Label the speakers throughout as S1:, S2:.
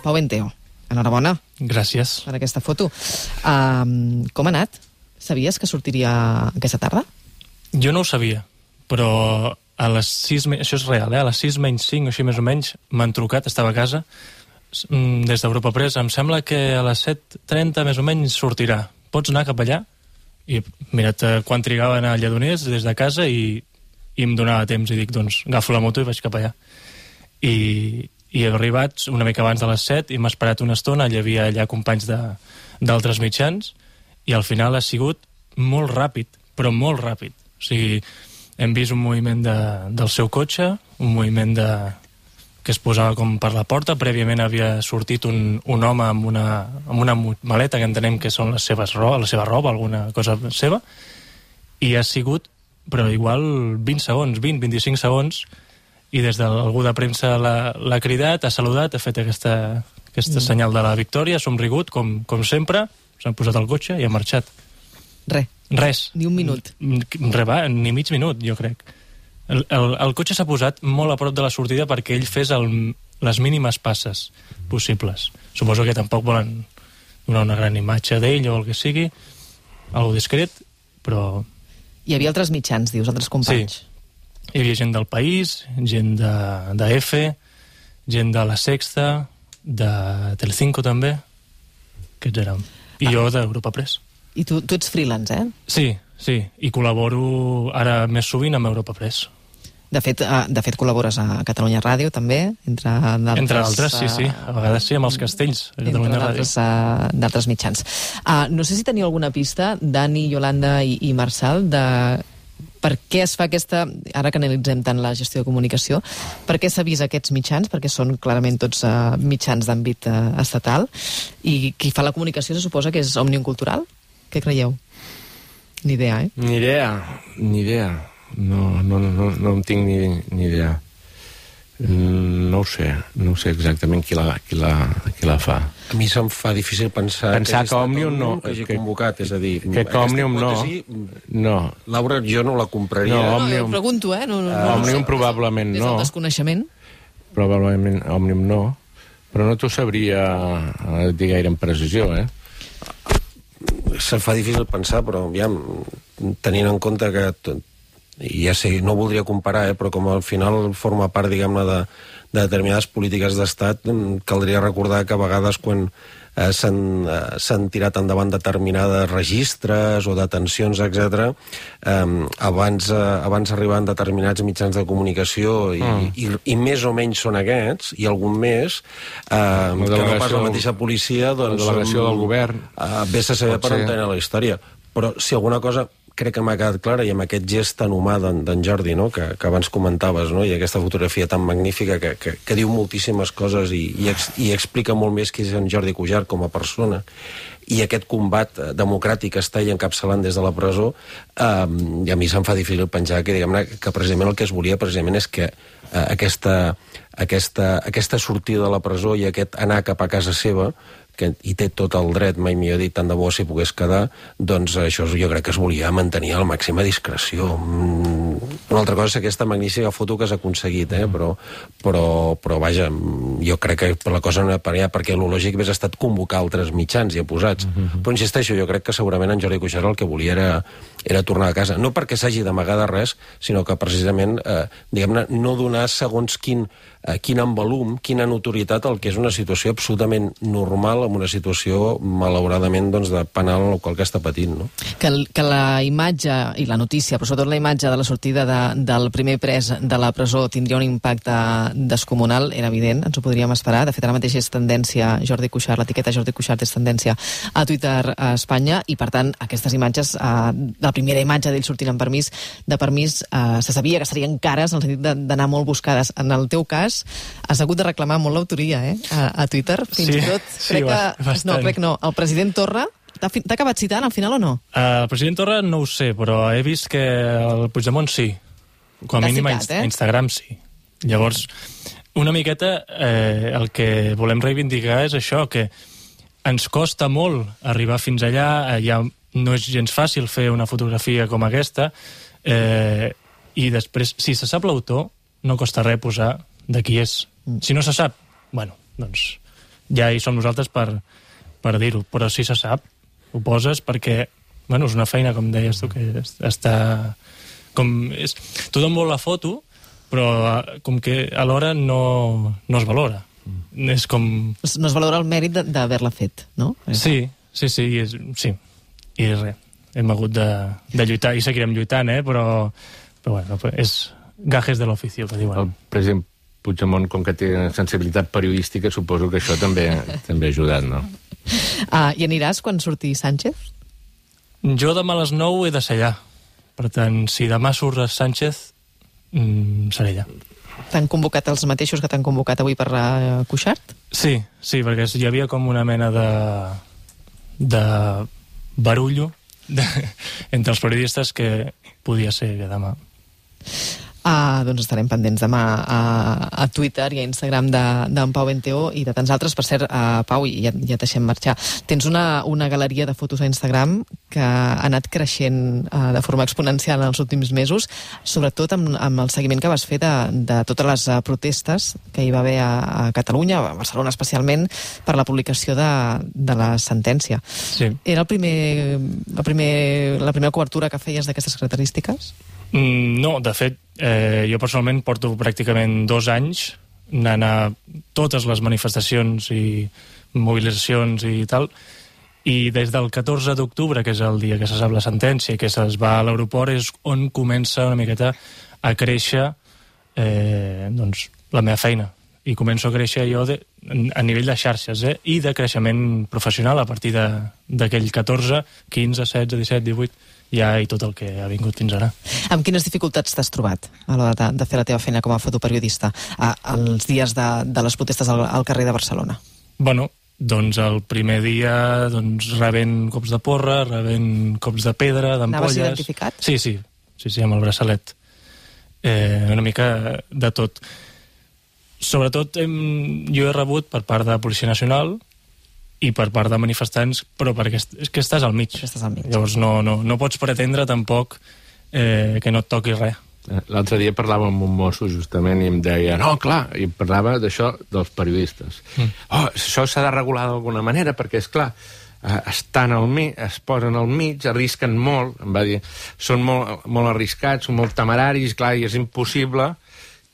S1: Pau Benteo, enhorabona.
S2: Gràcies.
S1: Per aquesta foto. Com ha anat? Sabies que sortiria aquesta tarda?
S2: Jo no ho sabia, però a les 6... Això és real, a les 6 menys 5, així més o menys, m'han trucat, estava a casa, des d'Europa Press. Em sembla que a les 7:30 més o menys sortirà. Pots anar cap allà? I mira't quan trigava a anar a Lledoners des de casa i em donava temps i dic, doncs, agafo la moto i vaig cap allà. I he arribat una mica abans de les 7 i m'ha esperat una estona, hi havia allà companys d'altres mitjans i al final ha sigut molt ràpid, però molt ràpid. O sigui, hem vist un moviment del seu cotxe, un moviment que es posava com per la porta. Prèviament havia sortit un home amb una maleta que entenem que són la seva roba, alguna cosa seva, i ha sigut, però igual 20 segons, 20-25 segons, i des d'algú de premsa l'ha cridat, ha saludat, ha fet aquesta senyal de la victòria, ha somrigut, com sempre, s'han posat al cotxe i ha marxat. Res.
S1: Ni un minut.
S2: Ni mig minut, jo crec. El cotxe s'ha posat molt a prop de la sortida perquè ell fes les mínimes passes possibles. Suposo que tampoc volen donar una gran imatge d'ell o el que sigui, algo discret, però...
S1: Hi havia altres mitjans, dius, altres companys.
S2: Sí. Hi havia gent del País, gent de EFE, gent de La Sexta, de Telecinco també, aquests érem. I jo d'Europa Press.
S1: I tu ets freelance, eh?
S2: Sí, i col·laboro ara més sovint amb Europa Press.
S1: De fet, col·labores a Catalunya Ràdio, també, entre
S2: altres, sí. A vegades sí, amb els castells a Catalunya Ràdio.
S1: D'altres mitjans. No sé si teniu alguna pista, Dani, Yolanda i Marçal, de per què es fa aquesta... Ara que analitzem tant la gestió de comunicació, per què s'ha vist aquests mitjans? Perquè són clarament tots mitjans d'àmbit estatal, i qui fa la comunicació se suposa que és Òmnium Cultural? Què creieu? Ni idea, eh?
S3: Ni idea. No en tinc ni idea. No ho sé exactament qui la fa.
S4: A mi se'm fa difícil pensar
S3: que Òmnium no...
S4: que hagi convocat, és a dir...
S3: Que Òmnium no.
S4: Laura, jo no la compraria.
S1: No, pregunto, eh?
S3: Òmnium probablement no.
S1: Des del desconeixement.
S3: Probablement Òmnium no, però no t'ho sabria dir gaire amb precisió, eh?
S4: Se'm fa difícil pensar, però aviam, tenint en compte que ja sé, no voldria comparar, però com al final forma part, diguem-ne, de determinades polítiques d'estat, caldria recordar que a vegades quan s'han tirat endavant determinades registres o detencions, etc. Abans arribaven determinats mitjans de comunicació i més o menys són aquests, i algun més, que no pas la mateixa policia, doncs...
S3: La delegació del govern.
S4: Vés a saber per on tenen la història. Però si alguna cosa crec que m'ha quedat clara, i amb aquest gest tan humà d'en Jordi, no? que abans comentaves, no? I aquesta fotografia tan magnífica que diu moltíssimes coses i explica molt més qui és en Jordi Cuixart com a persona, i aquest combat democràtic que està ell encapçalant des de la presó, i a mi se'm fa difícil pensar que, diguem-ne, que precisament el que es volia precisament és que aquesta sortida de la presó i aquest anar cap a casa seva, i té tot el dret, mai millor dit, tant de bo si pogués quedar, doncs això jo crec que es volia mantenir a la màxima discreció. Una altra cosa és aquesta magnífica foto que s'ha aconseguit, però vaja, jo crec que la cosa no era perquè el lògic hagués estat convocar altres mitjans ja posats. Però insisteixo, jo crec que segurament en Jordi Cuixart el que volia era tornar a casa. No perquè s'hagi d'amagar de res, sinó que precisament, diguem-ne, no donar segons quin envolum, quina notorietat al que és una situació absolutament normal, amb una situació, malauradament, doncs, de penal o qual que està patint, no?
S1: Que la imatge i la notícia, però sobretot la imatge de la sortida del primer pres de la presó tindria un impacte descomunal, era evident, ens ho podríem esperar. De fet, ara mateix és tendència Jordi Cuixart, l'etiqueta Jordi Cuixart és tendència a Twitter a Espanya, i per tant, aquestes imatges, la primera imatge d'ell sortint amb permís, se sabia que serien cares, en el sentit d'anar molt buscades. En el teu cas, has hagut de reclamar molt l'autoria, a Twitter, fins i tot. Crec que no. El president Torra t'ha acabat citant al final o no?
S2: El president Torra no ho sé, però he vist que el Puigdemont sí. Com a mínim a Instagram sí. Llavors, una miqueta el que volem reivindicar és això, que ens costa molt arribar fins allà, ja no és gens fàcil fer una fotografia com aquesta, i després, si se sap l'autor, no costa res posar de qui és. Si no se sap, bueno, doncs ja hi som nosaltres per dir-ho, però sí se sap, ho poses perquè, bueno, és una feina, com deies tu, que està... Tothom vol la foto, però com que alhora no es valora. És com...
S1: No es valora el mèrit d'haver-la fet, no?
S2: Sí. I res, hem hagut de lluitar, i seguirem lluitant, però bueno, és gajes de l'oficio, que diuen.
S3: El president Puigdemont, com que té sensibilitat periodística, suposo que això també ha ajudat, no?
S1: I aniràs quan surti Sánchez?
S2: Jo demà a les 9 he de ser allà. Per tant, si demà surt Sánchez, seré allà.
S1: T'han convocat els mateixos que t'han convocat avui per Cuixart?
S2: Sí, perquè hi havia com una mena de barullo entre els periodistes que podia ser demà.
S1: Doncs estarem pendents demà a Twitter i a Instagram d'en Pau Benteó i de tants altres. Per cert, Pau, ja et deixem marxar, tens una galeria de fotos a Instagram que ha anat creixent de forma exponencial en els últims mesos, sobretot amb el seguiment que vas fer de totes les protestes que hi va haver a Catalunya, a Barcelona especialment, per la publicació de la sentència.
S2: Sí.
S1: Era la primera cobertura que feies d'aquestes característiques?
S2: No, de fet, jo personalment porto pràcticament 2 anys anant a totes les manifestacions i mobilitzacions i tal, i des del 14 d'octubre, que és el dia que se sap la sentència i que es va a l'aeroport, és on comença una miqueta a créixer doncs, la meva feina. I començo a créixer jo a nivell de xarxes i de creixement professional a partir d'aquell 14, 15, 16, 17, 18... ja i tot el que ha vingut fins ara.
S1: Amb quines dificultats t'has trobat a l'hora de fer la teva feina com a fotoperiodista els dies de les protestes al carrer de Barcelona?
S2: Bueno, doncs el primer dia rebent cops de porra, rebent cops de pedra, d'ampolles...
S1: Anaves identificat?
S2: Sí, amb el braçalet. Una mica de tot. Sobretot jo he rebut per part de Policia Nacional i per part de manifestants, però perquè és que estàs al mig. Llavors no pots pretendre tampoc que no et toqui res.
S3: L'altre dia parlava amb un mosso justament i em deia, no, clar, i parlava d'això dels periodistes. Això s'ha de regular d'alguna manera perquè, és clar, estan al mig, es posen al mig, arrisquen molt, em va dir, són molt arriscats, són molt temeraris, clar, i és impossible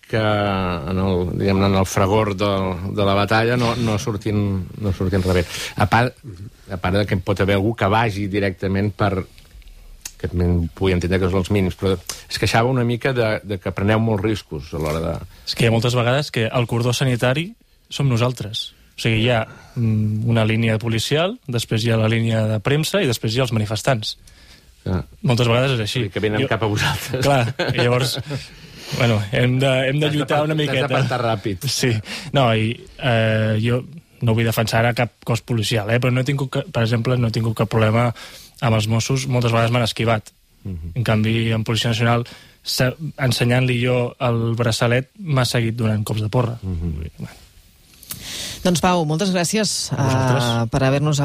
S3: que en el fragor de la batalla no surtin rebent. A part que pot haver algú que vagi directament que pugui entendre que són els mínims, però es queixava una mica de que preneu molts riscos a l'hora de...
S2: És que hi ha moltes vegades que el cordó sanitari som nosaltres. O sigui, hi ha una línia policial, després hi ha la línia de premsa i després hi ha els manifestants. Moltes vegades és així.
S3: Que venen cap a vosaltres.
S2: Clar, i llavors... Bueno, hem de lluitar una miqueta.
S3: Has d'apartar ràpid.
S2: Sí. No, i jo no vull defensar ara cap cos policial, però per exemple, no he tingut cap problema amb els Mossos. Moltes vegades m'han esquivat. En canvi, en Policia Nacional, ensenyant-li jo el braçalet, m'ha seguit donant cops de porra.
S1: Doncs Pau, moltes gràcies per haver-nos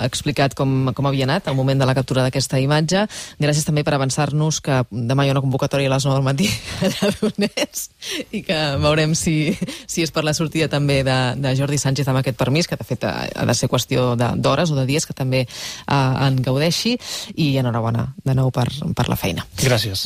S1: explicat com havia anat el moment de la captura d'aquesta imatge. Gràcies també per avançar-nos que demà hi ha una convocatòria a les 9 del matí allà a Donés i que veurem si és per la sortida també de Jordi Sánchez amb aquest permís, que de fet ha de ser qüestió d'hores o de dies, que també en gaudeixi, i enhorabona de nou per la feina.
S2: Gràcies.